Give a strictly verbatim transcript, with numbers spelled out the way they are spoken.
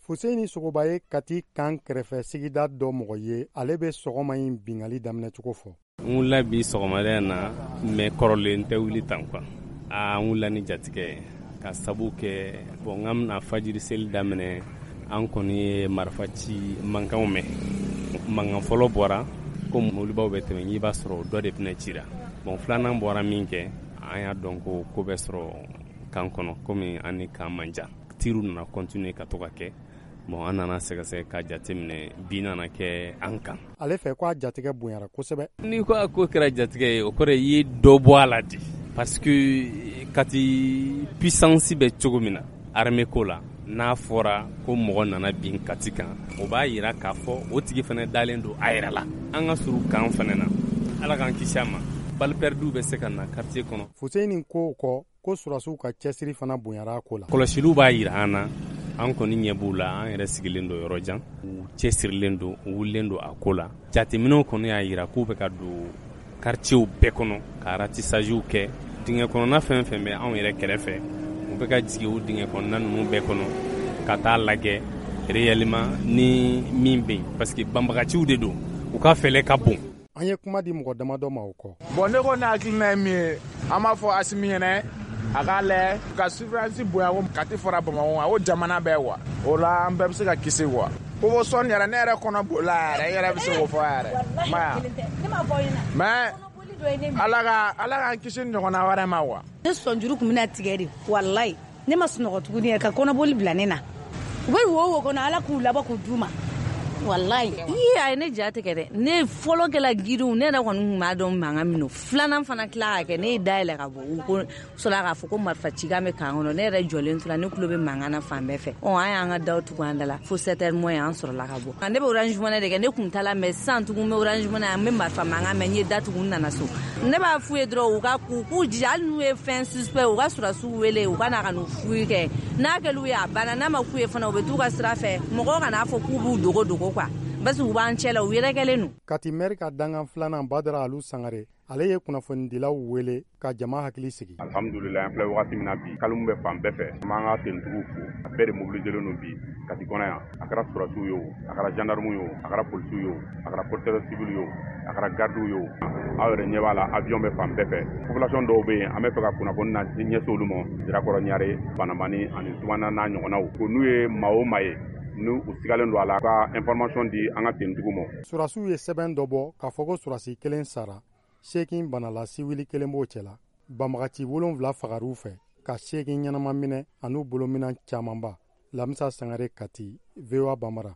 Fuseni Sogoba ye Kati kan kɛrɛfɛ sigida dɔ mɔgɔ ye. Ale bɛ sɔgɔma in bingali daminɛcogo fɔ. N wulila bi sɔgɔmada in na, mais kɔrɔlen tɛ wuli tan quoi. Aa, n wulila ni jatigɛ ye ka sabu kɛ, bon, n ka bɛna fajiri seli daminɛ, an kɔni ye marifa ci mankanw mɛn. Mankan fɔlɔ bɔra ko mobilibaw bɛ tɛmɛ, n'i b'a sɔrɔ dɔ de bɛna cira. Bon, filanan bɔra min kɛ, an y'a dɔn ko ko bɛ sɔrɔ kan kɔnɔ, komi an ni kan man jan. Tiriw nana continuer ka to ka kɛ. Bon, an nana sɛgɛsɛgɛ ka jateminɛ, bin nana kɛ an kan. Ale fɛ ko a jatigɛ bonyara kosɛbɛ. N'i ko a ko kɛra jatigɛ ye, o kɔrɔ i ye dɔ bɔ a la de, parce que Kati puissance bɛ cogo min na armée ko la, n'a fɔra ko mɔgɔ nana bin Kati kan, o b'a yira k'a fɔ o tigi fana dalen don a yɛrɛ la. An ka surun kan fana na, Ala k'an kisi a ma, balle perdue bɛ se ka na quartier kɔnɔ. Fuseni ko kɔ ko surasiw ka cɛsiri fana bonyara a ko la. Kɔlɔsiliw b'a yira an na, an kɔni ɲɛ b'u la, an yɛrɛ sigilen don yɔrɔ jan, u cɛsirilen don, u wulilen don a ko la. Jateminɛw kɔni y'a yira k'u bɛ ka don quartierw bɛɛ kɔnɔ ka ratissagew kɛ. Dingɛ kɔnɔna fɛn fɛn bɛ anw yɛrɛ kɛrɛfɛ, u bɛ ka jigin o dingɛ kɔnɔna ninnu bɛɛ kɔnɔ ka taa lajɛ réellement ni min bɛ yen, parce que banbagaciw de don, u ka fɛlɛ ka bon. An ye kuma di mɔgɔ damadɔ ma o kɔ. Bon, ne ko ne hakilina ye min ye, an b'a fɔ Asimi ɲɛnɛ a k'a lajɛ ka surveillance bonya ko Kati fara Bamakɔ kan, o jamana bɛɛ quoi. O la an bɛɛ bɛ se ka kisi quoi. Ko fo sɔnni yɛrɛ, ne yɛrɛ kɔnɔ bolila yɛrɛ, i yɛrɛ bɛ se k'o fɔ yɛrɛ, ma mais Ala ka Ala k'an kisi ɲɔgɔnna wɛrɛ ma quoi. Ne sɔnjuru tun bɛna tigɛ de, walayi. Ne ma sunɔgɔ tuguni ka kɔnɔboli bila ne na. U bɛ wo wo kɔnɔ, Ala k'u labɔ k'u d'u ma, walayi. Ii, a ye ne ja tigɛ dɛ. Ne fɔlɔ kɛla giriw, ne yɛrɛ kɔni tun b'a dɔn mankan min don. Filanan fana tila ka kɛ, ne ye dayɛlɛ ka bɔ, u ko sɔrɔ k'a fɔ ko marifa cikan bɛ kan kɔnɔ. Ne yɛrɛ jɔlen tora, ne tulo bɛ mankan na fan bɛɛ fɛ. Ɔ, an y'an ka daw tugu an da la fo sept heures moins, an sɔrɔla ka bɔ. Ne bɛ Orange Money de kɛ, ne kun ta la, mais sisan tugun n bɛ Orange Money, an bɛ marifa mankan mɛn, n ye da tugu, n nana so. Ne b'a f'u ye dɔrɔn, u ka k'u k'u jija, hali n'u ye fɛn suspect, u ka surasiw wele, u ka na ka n'u fouille kɛ. N'a kɛl'u ye, a banna. N'a ma k'u ye fana, u bɛ t'u ka sira fɛ. Mɔgɔw kana fɔ k'u b'u dogo dogo quoi, parce que u b'an cɛ la, u yɛrɛkɛlen don. Kati mɛri ka dankan filanan, Badara Alu Sangare, ale ye kunnafonidilaw wele ka jama hakili sigi. Alhamdulilayi, an filɛ wagati min na bi, calme bɛ fan bɛɛ fɛ. An b'an ka tenitigiw fo, a bɛɛ de mobiliselen don bi Kati kɔnɔ yan. A kɛra surasiw ye o, a kɛra gendarme ye o, a kɛra polisiw ye o, a kɛra porteur civil ye o, a kɛra gardiw ye o, aw yɛrɛ ɲɛ b'a la, avion bɛ fan bɛɛ fɛ. Population dɔw bɛ yen, an bɛ fɛ ka kunnafoni na ɲɛsin olu ma, Sirakɔrɔ, Ɲare, Banamani ani Tumana n'a ɲɔgɔnnaw, ko n'u ye maa o maa ye n'u u sigalen don a la, ka information di an ka tenitigiw ma. Surasiw ye sɛbɛn dɔ bɔ k'a fɔ ko surasi kelen sara, seegin banala, siwili kelen b'o cɛla. Banbagaci wolonfila fagar'u fɛ, ka seegin ɲɛnama minɛ an'u bolominan camanba. Lamisa Sangare, Kati, V O A Bambara.